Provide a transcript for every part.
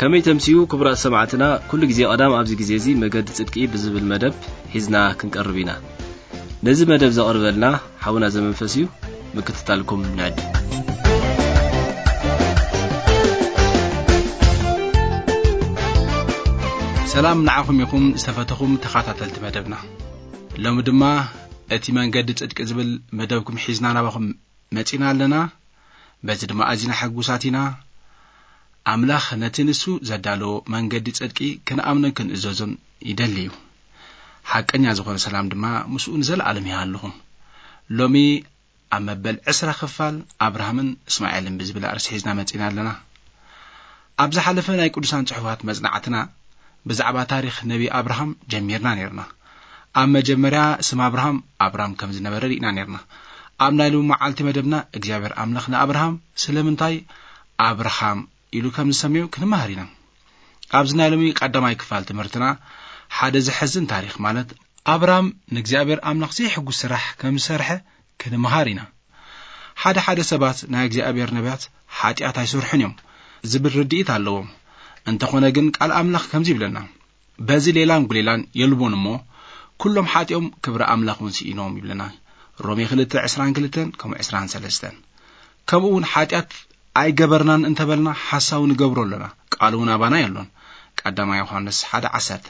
ከመይ ተምስዩ ክቡራት ሰማዕትና፣ ኩሉ ግዜ ቀዳም ኣብዚ ግዜ እዚ መገዲ ጽድቂ ብዝብል መደብ ሒዝና ክንቀርብ ኢና። ነዚ መደብ ዘቕርበልና ሓውና ዘመንፈስ እዩ። ምክትታልኩም ንዕድ። ሰላም ንዓኹም ይኹም ዝተፈተኹም ተኸታተልቲ መደብና። ሎሚ ድማ እቲ መንገዲ ጽድቂ ዝብል መደብኩም ሒዝና ናባኹም መጺና ኣለና። በዚ ድማ ኣዚና ሕጉሳት ኢና። ኣምላኽ ነቲ ንሱ ዘዳለዎ መንገዲ ጽድቂ ክንኣምኖን ክንእዘዞን ይደሊ እዩ። ሓቀኛ ዝኾነ ሰላም ድማ ምስኡ ንዘለኣለም ይሃልኹም። ሎሚ ኣብ መበል ዕስራ ክፋል ኣብርሃምን እስማኤልን ብዝብል ኣርእስቲ ሒዝና መጺና ኣለና። ኣብ ዝሓለፈ ናይ ቅዱሳን ጽሑፋት መጽናዕትና ብዛዕባ ታሪኽ ነቢ ኣብርሃም ጀሚርና ነይርና። ኣብ መጀመርያ ስም ኣብርሃም ኣብራም ከም ዝነበረ ርኢና ነይርና። ኣብ ናይ ሎሚ መዓልቲ መደብና እግዚኣብሔር ኣምላኽ ንኣብርሃም ስለምንታይ ኣብርሃም ኢሉ ከም ዝሰምዮ ክንመሃር ኢና። ኣብዚ ናይ ሎሚ ቀዳማይ ክፋል ትምህርትና ሓደ ዘሐዝን ታሪኽ ማለት ኣብራም ንእግዚኣብሔር ኣምላኽ ዘይሕጉስ ስራሕ ከም ዝሰርሐ ክንመሃር ኢና። ሓደ ሓደ ሰባት ናይ እግዚኣብሔር ነቢያት ሓጢኣት ኣይሰርሑን እዮም ዝብል ርድኢት ኣለዎም። እንተኾነ ግን ቃል ኣምላኽ ከምዚ ይብለና፣ በዚ ሌላን ጉሌላን የልቦን እሞ ኩሎም ሓጢኦም ክብሪ ኣምላኽ እውን ስኢኖም ይብለና። ሮሜ ክልተ ዕስራን ክልተን ከምኡ ዕስራን ሰለስተን። ከምኡ እውን ሓጢኣት ኣይገበርናን እንተበልና ሓሳዊ ንገብሮ ኣለና፣ ቃል እውን ኣባና የሎን። ቀዳማይ ዮሃንስ ሓደ ዓሰርተ።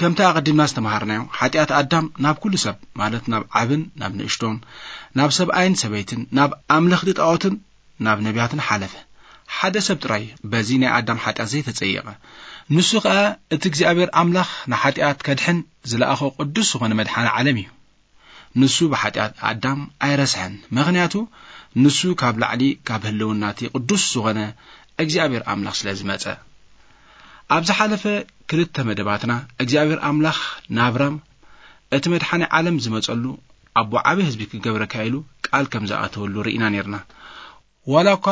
ከምቲ ኣቐዲምና ዝተምሃርናዮ ሓጢኣት ኣዳም ናብ ኩሉ ሰብ ማለት ናብ ዓብን ናብ ንእሽቶን ናብ ሰብኣይን ሰበይትን ናብ ኣምለኽቲ ጣዖትን ናብ ነቢያትን ሓለፈ። ሓደ ሰብ ጥራይ በዚ ናይ ኣዳም ሓጢኣት ዘይተጸየቐ፣ ንሱ ኸኣ እቲ እግዚኣብሔር ኣምላኽ ንሓጢኣት ከድሕን ዝለኣኾ ቅዱስ ዝኾነ መድሓኒ ዓለም እዩ። ንሱ ብሓጢኣት ኣዳም ኣይረስሐን፣ ምኽንያቱ ንሱ ካብ ላዕሊ ካብ ህልውና እቲ ቅዱስ ዝኾነ እግዚኣብሔር ኣምላኽ ስለ ዝመጸ። ኣብ ዝሓለፈ ክልተ መደባትና እግዚኣብሔር ኣምላኽ ናብራም እቲ መድሓኒ ዓለም ዝመጸሉ ኣቦ ዓቢ ህዝቢ ክገብረካ ኢሉ ቃል ከም ዝኣተወሉ ርኢና ነርና። ዋላ እኳ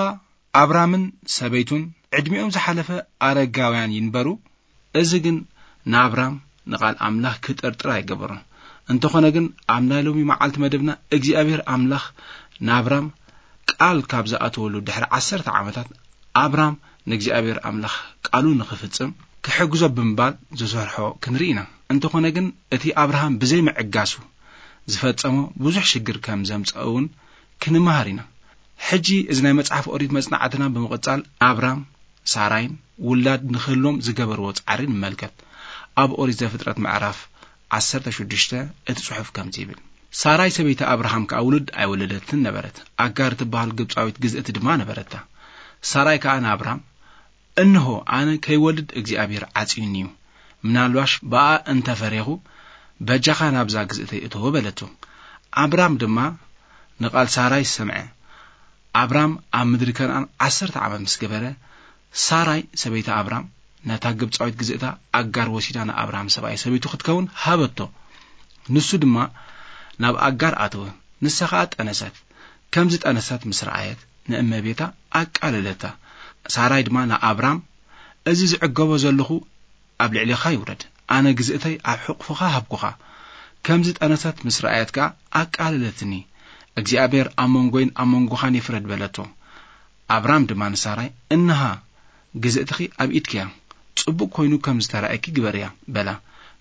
ኣብራምን ሰበይቱን ዕድሚኦም ዝሓለፈ ኣረጋውያን ይንበሩ፣ እዚ ግን ንኣብራም ንቓል ኣምላኽ ክጥርጥር ኣይገበሮን። እንተኾነ ግን ኣብ ናይ ሎሚ መዓልቲ መደብና እግዚኣብሔር ኣምላኽ ንኣብራም ቃል ካብ ዝኣተወሉ ድሕሪ ዓሰርተ ዓመታት ኣብራም ንእግዚኣብሔር ኣምላኽ ቃሉ ንኽፍጽም ክሕግዞ ብምባል ዝሰርሖ ክንርኢ ኢና። እንተኾነ ግን እቲ ኣብርሃም ብዘይ ምዕጋሱ ዝፈጸሞ ብዙሕ ሽግር ከም ዘምጸእ እውን ክንመሃር ኢና። ሕጂ እዚ ናይ መጽሓፍ ኦሪት መጽናዕትና ብምቕጻል ኣብራም ሳራይን ውላድ ንኽህልዎም ዝገበርዎ ጻዕሪ ንመልከት። ኣብ ኦሪት ዘፍጥረት ምዕራፍ ዓሰርተ ሽዱሽተ እቲ ጽሑፍ ከምዚ ይብል፣ ሳራይ ሰበይቲ ኣብርሃም ከኣ ውሉድ ኣይወለደትን ነበረት። ኣጋር ትበሃል ግብጻዊት ግዝእቲ ድማ ነበረታ። ሳራይ ከኣ ንኣብራም፣ እንሆ ኣነ ከይወልድ እግዚኣብሔር ዓጽዩኒ እዩ። ምናልባሽ ብኣ እንተ ፈሬኹ በጃኻ ናብዛ ግዝእተይ እተዎ በለቶ። ኣብራም ድማ ንቓል ሳራይ ሰምዐ። ኣብራም ኣብ ምድሪ ከነኣን ዓሰርተ ዓመት ምስ ገበረ፣ ሳራይ ሰበይቲ ኣብራም ነታ ግብጻዊት ግዝእታ ኣጋር ወሲዳ ንኣብራም ሰብኣይ ሰበይቱ ክትከውን ሃበቶ። ንሱ ድማ ናብ ኣጋር ኣተወ። ንሳ ኸኣ ጠነሰት። ከም ዝጠነሰት ምስ ረኣየት ንእመቤታ ኣቃለለታ። ሳራይ ድማ ንኣብራም፣ እዚ ዝዕገቦ ዘለኹ ኣብ ልዕሌኻ ይውረድ። ኣነ ግዝእተይ ኣብ ሕቑፍኻ ሃብኩኻ። ከም ዝጠነሰት ምስ ረኣየት ከኣ ኣቃለለትኒ። እግዚኣብሔር ኣብ መንጎይን ኣብ መንጎኻን ይፍረድ በለቶ። ኣብራም ድማ ንሳራይ፣ እንሃ ግዝእትኺ ኣብ ኢድኪ እያ፣ ጽቡቕ ኮይኑ ከም ዝተራእየኪ ግበርያ በላ።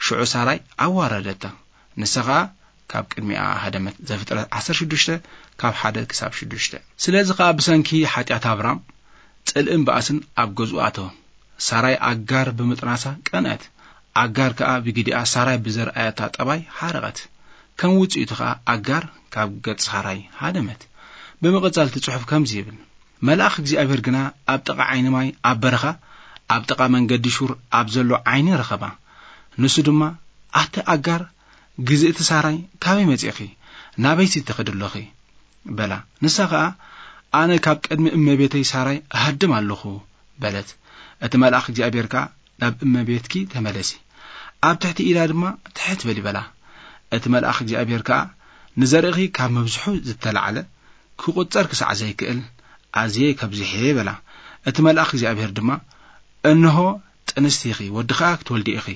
ሽዑ ሳራይ ኣዋረደታ። ንሳ ኸኣ ካብ ቅድሚኣ ሃደመት። ዘፍጥረት ዓሰርተ ሽዱሽተ ካብ ሓደ ክሳብ ሽዱሽተ። ስለዚ ኸኣ ብሰንኪ ሓጢኣት ኣብራም ጽልእን ባእስን ኣብ ገዝኡ ኣተወ። ሳራይ ኣጋር ብምጥናሳ ቀንአት። ኣጋር ከኣ ብግዲኣ ሳራይ ብዘርኣየታ ጠባይ ሓረቐት። ከም ውጽኢቱ ኸኣ ኣጋር ካብ ገጽ ሳራይ ሃደመት። ብምቕጻል እቲ ጽሑፍ ከምዚ ይብል፣ መልኣኽ እግዚኣብሔር ግና ኣብ ጥቓ ዓይኒ ማይ ኣብ በረኻ ኣብ ጥቓ መንገዲ ሹር ኣብ ዘሎ ዓይኒ ረኸባ። ንሱ ድማ፣ ኣቲ ኣጋር ግዝእቲ ሳራይ ካበይ መጺእኺ? ናበይሲ ትኸዲ ኣሎኺ? በላ። ንሳ ኸኣ፣ ኣነ ካብ ቅድሚ እመቤተይ ሳራይ እሃድም ኣለኹ በለት። እቲ መልኣኽ እግዚኣብሔር ከኣ ናብ እመቤትኪ ተመለሲ፣ ኣብ ትሕቲ ኢዳ ድማ ትሕት በሊ በላ። እቲ መልኣኽ እግዚኣብሔር ከኣ ንዘርእኺ ካብ ምብዝሑ ዝተላዕለ ክቑጸር ክሳዕ ዘይክእል ኣዝየ ከብዝሔ በላ። እቲ መልኣኽ እግዚኣብሔር ድማ እንሆ ጥንስቲ ኢኺ፣ ወዲ ኸኣ ክትወልዲ ኢኺ።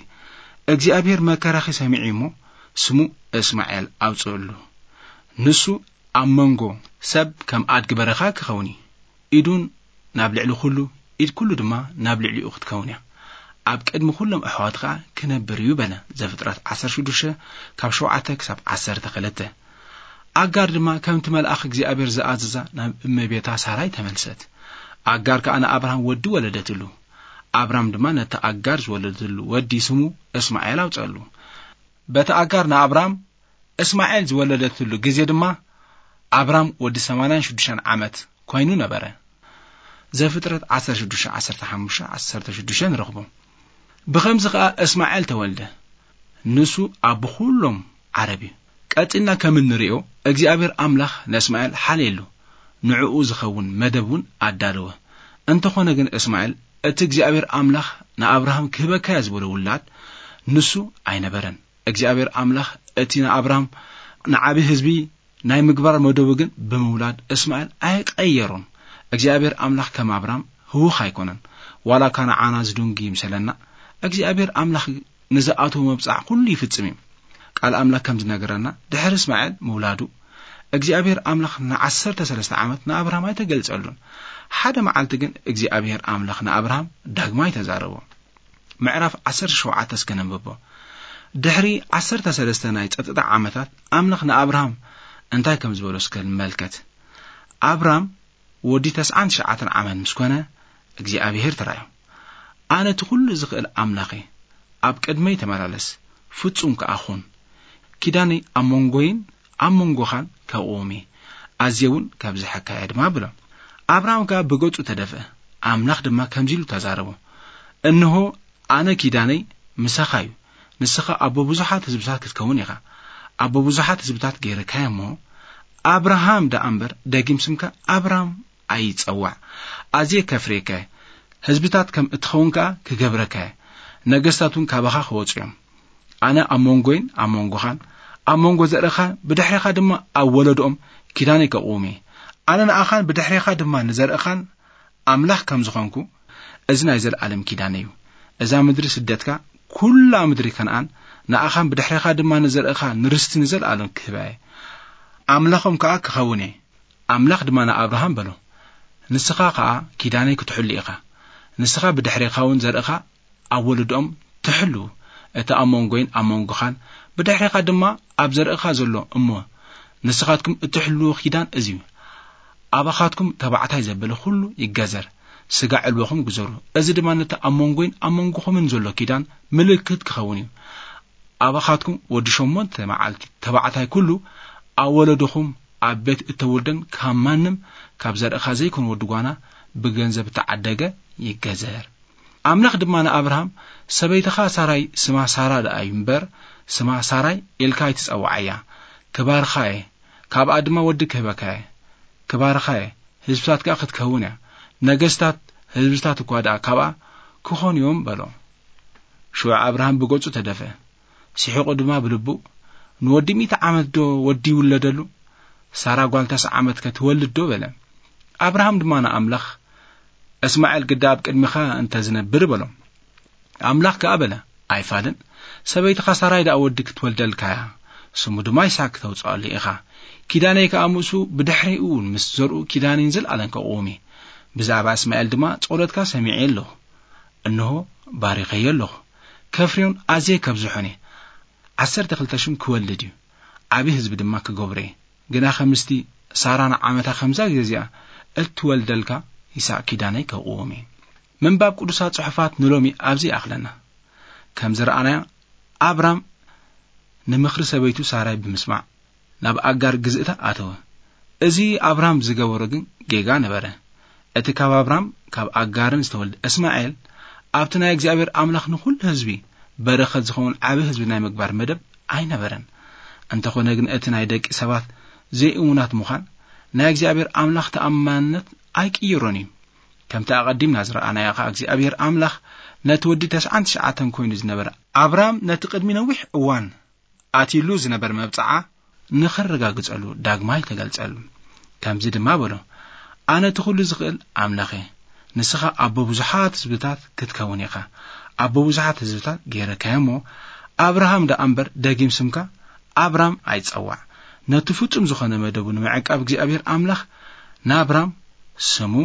እግዚኣብሔር መከራኺ ሰሚዑ እሞ ስሙ እስማኤል ኣውጽእሉ። ንሱ ኣብ መንጎ ሰብ ከም ኣድጊ በረኻ ክኸውን እዩ። ኢዱን ናብ ልዕሊ ኩሉ ኢድ ኩሉ ድማ ናብ ልዕሊኡ ክትከውን እያ። ኣብ ቅድሚ ኩሎም ኣሕዋት ኸኣ ክነብር እዩ በለ። ዘፍጥረት ዓሰርተ ሽዱሽተ ካብ ሸውዓተ ክሳብ ዓሰርተ ክልተ። ኣጋር ድማ ከምቲ መልኣኽ እግዚኣብሔር ዝኣዘዛ ናብ እመቤታ ሳራይ ተመልሰት። ኣጋር ከኣ ንኣብርሃም ወዲ ወለደትሉ። ኣብራም ድማ ነቲ ኣጋር ዝወለደትሉ ወዲ ስሙ እስማኤል ኣውጸሉ። በቲ ኣጋር ንኣብራም እስማኤል ዝወለደትሉ ግዜ ድማ ኣብራም ወዲ ሰማንያን ሽዱሽተን ዓመት ኮይኑ ነበረ። ዘፍጥረት ዓሰርተ ሽዱሽተ፣ ዓሰርተ ሓሙሽተ፣ ዓሰርተ ሽዱሽተ ንረኽቦ። ብኸምዚ ኸኣ እስማኤል ተወልደ። ንሱ ኣቦ ኩሎም ዓረብ እዩ። ቀጺልና ከም እንርእዮ፣ እግዚኣብሔር ኣምላኽ ንእስማኤል ሓልየሉ፣ ንዕኡ ዝኸውን መደብ እውን ኣዳለወ። እንተኾነ ግን እስማኤል እቲ እግዚኣብሔር ኣምላኽ ንኣብርሃም ክህበካዮ ዝበሎ ውላድ ንሱ ኣይነበረን። እግዚኣብሔር ኣምላኽ እቲ ንኣብርሃም ንዓቢ ህዝቢ ናይ ምግባር መደቡ ግን ብምውላድ እስማኤል ኣይቀየሮን። እግዚኣብሔር ኣምላኽ ከም ኣብርሃም ህውኽ ኣይኮነን። ዋላ እኳ ንዓና ዝድንጉ ይምሰለና፣ እግዚኣብሔር ኣምላኽ ንዝኣተዎ መብጽዓ ኩሉ ይፍጽም እዩ። ቃል ኣምላኽ ከም ዝነገረና፣ ድሕሪ እስማኤል ምውላዱ፣ እግዚኣብሔር ኣምላኽ ንዓሰርተ ሰለስተ ዓመት ንኣብርሃም ኣይተገልጸሉን። ሓደ መዓልቲ ግን እግዚኣብሔር ኣምላኽ ንኣብርሃም ዳግማይ ተዛረቦ። ምዕራፍ ዓሰርተ ሸውዓተ እስከ ነንብቦ። ድሕሪ ዓሰርተ ሰለስተ ናይ ጸጥታ ዓመታት፣ ኣምላኽ ንኣብርሃም እንታይ ከም ዝበሎ እስከ ንመልከት። ኣብራም ወዲ ተስዓን ትሽዓተን ዓመት ምስ ኮነ፣ እግዚኣብሔር ተራእዮ። ኣነ እቲ ኩሉ ዝኽእል ኣምላኽ እየ። ኣብ ቅድመይ ተመላለስ፣ ፍጹም ከኣ ኹን። ኪዳነይ ኣብ መንጎይን ኣብ መንጎኻን ከእቁም እየ፣ ኣዝየ እውን ከብዝሐካ እየ ድማ ብሎ። ኣብርሃም ከኣ ብገጹ ተደፍአ፣ ኣምላኽ ድማ ከምዚ ኢሉ ተዛረቦ፣ እንሆ፣ ኣነ ኪዳነይ ምሳኻ እዩ፣ ንስኻ ኣቦ ብዙሓት ህዝብታት ክትከውን ኢኻ። ኣቦ ብዙሓት ህዝብታት ገይረካዮ እሞ፣ ኣብርሃም ደኣ እምበር ደጊም ስምካ ኣብራም ኣይጸዋዕ። ኣዝየ ከፍርየካ እየ፣ ህዝብታት ከም እትኸውን ከኣ ክገብረካ እየ፣ ነገስታት እውን ካባኻ ክወጹ እዮም። ኣነ ኣብ መንጎይን ኣብ መንጎኻን፣ ኣብ መንጎ ዘርእኻ ብድሕሬኻ ድማ ኣብ ወለዶኦም ኪዳነይ ከቕውም እየ። ኣነ ንኣኻን ብድሕሬኻ ድማ ንዘርእኻን ኣምላኽ ከም ዝኾንኩ፣ እዚ ናይ ዘለኣለም ኪዳነይ እዩ። እዛ ምድሪ ስደትካ፣ ኩላ ምድሪ ከነኣን፣ ንኣኻን ብድሕሬኻ ድማ ንዘርእኻ ንርስቲ ንዘለኣለም ክህባ እየ። ኣምላኾም ከኣ ክኸውን እየ። ኣምላኽ ድማ ንኣብርሃም በሎ፣ ንስኻ ኸኣ ኪዳነይ ክትሕሉ ኢኻ። ንስኻ ብድሕሬኻ እውን ዘርእኻ ኣብ ወለዶኦም ትሕሉ። እቲ ኣብ መንጎይን ኣብ መንጎኻን ብድሕሬኻ ድማ ኣብ ዘርእኻ ዘሎ እሞ ንስኻትኩም እትሕልዎ ኪዳን እዚ እዩ። ኣባኻትኩም ተባዕታይ ዘበለ ኩሉ ይገዘር፣ ስጋ ዕልቦኹም ግዘሩ። እዚ ድማ ነቲ ኣብ መንጎይን ኣብ መንጎኹምን ዘሎ ኪዳን ምልክት ክኸውን እዩ። ኣባኻትኩም ወዲ ሸሞንተ መዓልቲ ተባዕታይ ኩሉ ኣብ ወለዶኹም ኣብ ቤት እተወልደን ካብ ማንም ካብ ዘርእኻ ዘይኮነ ወዲ ጓና ብገንዘብ እተዓደገ ይገዘር። ኣምላኽ ድማ ንኣብርሃም፣ ሰበይትኻ ሳራይ ስማ ሳራ ደኣ እዩ እምበር፣ ስማ ሳራይ ኢልካ ኣይትጸውዓያ። ክባርኻ እየ፣ ካብኣ ድማ ወዲ ክህበካ እየ። ክባርኻ እየ፣ ህዝብታት ከኣ ክትከውን እያ። ነገስታት ህዝብታት እኳ ደኣ ካብኣ ክኾኑ እዮም በሎ። ሽዑ ኣብርሃም ብገጹ ተደፍአ። ስሒቑ ድማ ብልቡ፣ ንወዲ ሚእቲ ዓመት ዶ ወዲ ይውለደሉ? ሳራ ጓል ተስዓ ዓመት ከ ትወልድ ዶ? በለ። ኣብርሃም ድማ ንኣምላኽ፣ እስማኤል ግዳ ኣብ ቅድሚኻ እንተ ዝነብር በሎ። ኣምላኽ ከኣ በለ፣ ኣይፋልን፣ ሰበይትኻ ሳራይ ደኣ ወዲ ክትወልደልካ እያ፣ ስሙ ድማ ይስሐቅ ክተውጽኣሉ ኢኻ። ኪዳነይ ከኣ ምስኡ ብድሕሪኡ እውን ምስ ዘርኡ ኪዳነይን ዘለኣለም ከቕውም እየ። ብዛዕባ እስማኤል ድማ ጸሎትካ ሰሚዐ ኣለኹ፣ እንሆ ባሪኸዮ ኣለኹ፣ ከፍርዮን ኣዝየ ከብዝሖን እየ። ዓሰርተ ክልተ ሽም ክወልድ እዩ፣ ዓቢ ህዝቢ ድማ ክገብሮ እየ። ግና ከምስቲ ሳራ ንዓመታ ከምዛ ግዜ እዚኣ እትወልደልካ ይስሐቅ ኪዳነይ ከቕውም እየ። ምንባብ ቅዱሳት ጽሑፋት ንሎሚ ኣብዚ ይኣኽለና። ከም ዝረኣናዮ ኣብራም ንምኽሪ ሰበይቱ ሳራይ ብምስማዕ ናብ ኣጋር ግዝእታ ኣተወ። እዚ ኣብራም ዝገበሮ ግን ጌጋ ነበረ። እቲ ካብ ኣብራም ካብ ኣጋርን ዝተወልደ እስማኤል ኣብቲ ናይ እግዚኣብሔር ኣምላኽ ንኹሉ ህዝቢ በረኸት ዝኸውን ዓቢ ህዝቢ ናይ ምግባር መደብ ኣይነበረን። እንተኾነ ግን እቲ ናይ ደቂ ሰባት ዘይእሙናት ምዃን ናይ እግዚኣብሔር ኣምላኽ ተኣማንነት ኣይቅይሮን እዩ። ከምቲ ኣቐዲምና ዝረኣናዮ ኸኣ እግዚኣብሔር ኣምላኽ ነቲ ወዲ ተስዓን ትሽዓተን ኮይኑ ዝነበረ ኣብራም ነቲ ቅድሚ ነዊሕ እዋን ኣትዩሉ ዝነበረ መብጽዓ ንኸረጋግጸሉ ዳግማይ ተገልጸሉ። ከምዚ ድማ በሎ፣ ኣነ እቲ ኹሉ ዝኽእል ኣምላኽ እየ። ንስኻ ኣቦ ብዙሓት ህዝብታት ክትከውን ኢኻ። ኣቦ ብዙሓት ህዝብታት ገይረካዮ እሞ፣ ኣብርሃም ደኣ እምበር ደጊም ስምካ ኣብራም ኣይጸዋዕ። ነቲ ፍጹም ዝኾነ መደቡ ንምዕቃብ እግዚኣብሔር ኣምላኽ ናብራም ስሙ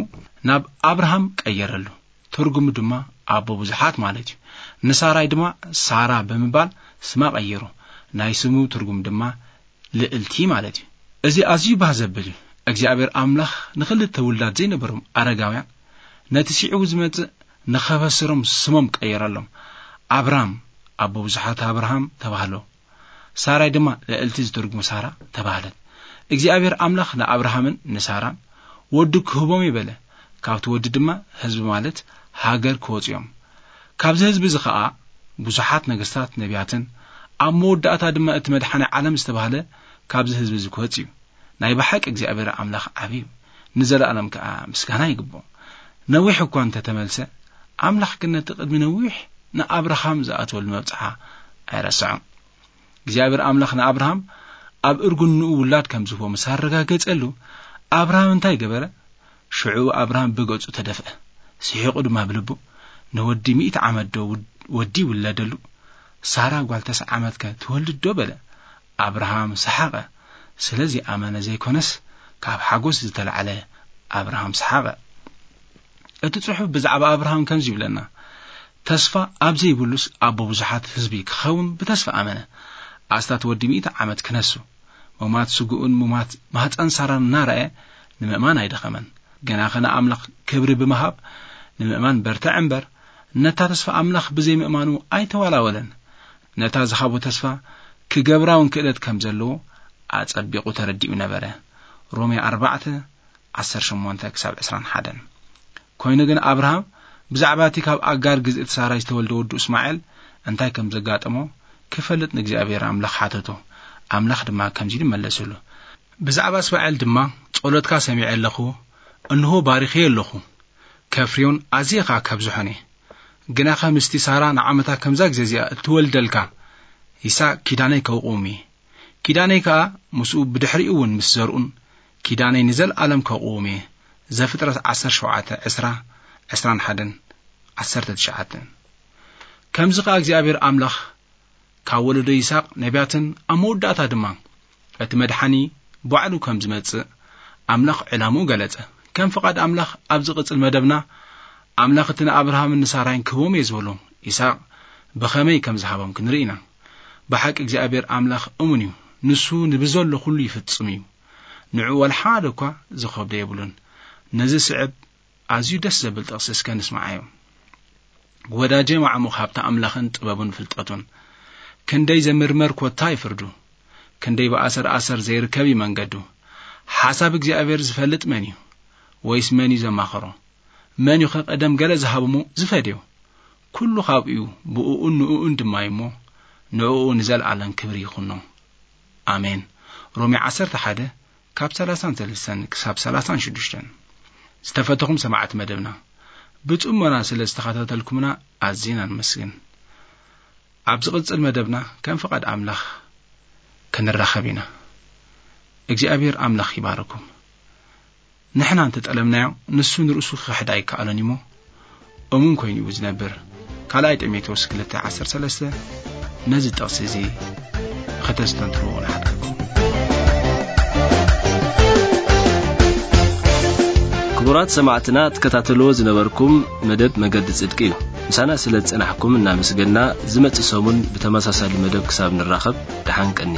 ናብ ኣብርሃም ቀየረሉ። ትርጉሙ ድማ ኣቦ ብዙሓት ማለት እዩ። ንሳራይ ድማ ሳራ ብምባል ስማ ቀይሩ። ናይ ስሙ ትርጉም ድማ ልዕልቲ ማለት እዩ። እዚ ኣዝዩ ባህ ዘብል እዩ። እግዚኣብሔር ኣምላኽ ንኽልተ ውላድ ዘይነበሮም ኣረጋውያን ነቲ ስዒቡ ዝመጽእ ንኸበስሮም ስሞም ቀየረሎም። ኣብራም ኣቦ ብዙሓት ኣብርሃም ተባህሎ። ሳራይ ድማ ልዕልቲ ዝትርጉም ሳራ ተባህለት። እግዚኣብሔር ኣምላኽ ንኣብርሃምን ንሳራን ወዲ ክህቦም እዩ በለ። ካብቲ ወዲ ድማ ህዝቢ ማለት ሃገር ክወጹ እዮም። ካብዚ ህዝቢ እዚ ኸኣ ብዙሓት ነገስታት ነቢያትን ኣብ መወዳእታ ድማ እቲ መድሓኒ ዓለም ዝተባህለ ካብዚ ህዝቢ እዚ ክወጽእ እዩ። ናይ ብሓቂ እግዚኣብሔር ኣምላኽ ዓቢ እዩ፣ ንዘለኣለም ከኣ ምስጋና ይግብኦ። ነዊሕ እኳ እንተተመልሰ፣ ኣምላኽ ግን ነቲ ቅድሚ ነዊሕ ንኣብርሃም ዝኣተወሉ መብጽዓ ኣይረስዖን። እግዚኣብሔር ኣምላኽ ንኣብርሃም ኣብ እርግንኡ ውላድ ከም ዝህቦ ምስ ኣረጋገጸሉ፣ ኣብርሃም እንታይ ገበረ? ሽዑ ኣብርሃም ብገጹ ተደፍአ፣ ስሒቑ ድማ ብልቡ፣ "ንወዲ ሚእቲ ዓመት ዶ ውድ-፣ ወዲ ይውለደሉ? ሳራ ጓል ተስዓ ዓመትከ ትወልድ ዶ?" በለ። ኣብርሃም ሰሓቐ። ስለዚ ኣመነ ዘይኮነስ፣ ካብ ሓጎስ ዝተላዕለ ኣብርሃም ሰሓቐ። እቲ ጽሑፍ ብዛዕባ ኣብርሃም ከምዚ ይብለና፣ "ተስፋ ኣብ ዘይብሉስ ኣቦ ብዙሓት ህዝቢ ክኸውን ብተስፋ ኣመነ። ኣስታት ወዲ ሚእቲ ዓመት ክነሱ፣ ሙማት ስግኡን ሙማት ማህፀን ሳራን እናረኣየ ንምእማን ኣይደኸመን። ግናኸ ንኣምላኽ ክብሪ ብምሃብ ንምእማን በርትዐ እምበር፣ ነታ ተስፋ ኣምላኽ ብዘይምእማኑ ኣይተዋላወለን። ነታ ዝሃቦ ተስፋ ክገብራ እውን ክእለት ከም ዘለዎ ኣጸቢቑ ተረዲኡ ነበረ።" ሮሜ ኣርባዕተ፣ ዓሰርተ ሸሞንተ ክሳብ ዕስራን ሓደን። ኮይኑ ግን ኣብርሃም ብዛዕባ እቲ ካብ ኣጋር ግዝእቲ ሳራይ ዝተወልደ ወዱ እስማኤል እንታይ ከም ዘጋጠሞ ክፈልጥ ንእግዚኣብሔር ኣምላኽ ሓተቶ። ኣምላኽ ድማ ከምዚ ኢሉ መለሰሉ፣ "ብዛዕባ እስማኤል ድማ ጸሎትካ ሰሚዐ ኣለኹ፣ እንሆ ባሪኸዮ ኣለኹ፣ ከፍርዮን ኣዝየ ኸኣ ከብዝሖን እየ። ግናኸ ምስቲ ሳራ ንዓመታ ከምዛ ግዜ እዚኣ እትወልደልካ ይስሐቅ ኪዳነይ ከውቅውም እየ። ኪዳነይ ከኣ ምስኡ ብድሕሪኡ እውን ምስ ዘርኡን ኪዳነይ ንዘለኣለም ከቕውም እየ።" ዘፍጥረት ዓሰርተ ሸውዓተ፣ ዕስራ፣ ዕስራን ሓደን፣ ዓሰርተ ትሽዓተን። ከምዚ ከኣ እግዚኣብሔር ኣምላኽ ካብ ወለዶ ይስሐቅ ነቢያትን ኣብ መወዳእታ ድማ እቲ መድሓኒ ባዕሉ ከም ዝመጽእ ኣምላኽ ዕላምኡ ገለጸ። ከም ፍቓድ ኣምላኽ ኣብ ዝቕጽል መደብና ኣምላኽ እቲ ንኣብርሃምን ንሳራይን ክህቦም እየ ዝበሎም ይስሐቅ ብኸመይ ከም ዝሃቦም ክንርኢ ኢና። ብሓቂ እግዚኣብሔር ኣምላኽ እሙን እዩ። ንሱ ንብዘሎ ኩሉ ይፍጽም እዩ። ንዕኡ ዋላ ሓደ እኳ ዝኸብዶ የብሉን። ነዚ ስዕብ ኣዝዩ ደስ ዘብል ጥቕሲ እስከ ንስምዓዮ። "ወዳጀ ማዕሙቕ ሃብቲ ኣምላኽን ጥበቡን ፍልጠቱን፣ ክንደይ ዘምርመር ኮታ እዩ ፍርዱ፣ ክንደይ ብኣሰር ኣሰር ዘይርከብ እዩ መንገዱ። ሓሳብ እግዚኣብሔር ዝፈልጥ መን እዩ? ወይስ መን እዩ ዘማኸሮ? መን እዩ ኸ ቀደም ገለ ዝሃብሞ ዝፈድዮ? ኩሉ ካብኡ እዩ፣ ብእኡን ንእኡን ድማ እዩ እሞ፣ ንእኡ ንዘለኣለም ክብሪ ይኹኖ። ኣሜን።" ሮሜ ዓሰርተ ሓደ ካብ ሰላሳን ሰለስተን ክሳብ ሰላሳን ሽዱሽተን። ዝተፈተኹም ሰማዕቲ መደብና፣ ብጽሞና ስለ ዝተኸታተልኩምና ኣዚና ንመስግን። ኣብ ዝቕጽል መደብና ከም ፍቓድ ኣምላኽ ክንራኸብ ኢና። እግዚኣብሔር ኣምላኽ ይባርኩም። ንሕና እንተጠለምናዮ፣ ንሱ ንርእሱ ክኽሕድ ኣይከኣሎን እሞ፣ እሙን ኮይኑ እዩ ዝነብር። ካልኣይ ጢሞቴዎስ ክልተ ዓሰርተ ሰለስተ ነዚ ጥቕሲ እዚ ከተስተንትንዎ ንሓተኩም። ክቡራት ሰማዕትና፣ ትከታተልዎ ዝነበርኩም መደብ መገዲ ጽድቂ እዩ። ምሳና ስለ ዝጸናሕኩም እናመስገንና፣ ዝመጽእ ሰሙን ብተመሳሳሊ መደብ ክሳብ ንራኸብ፣ ደሓን ቀኒ።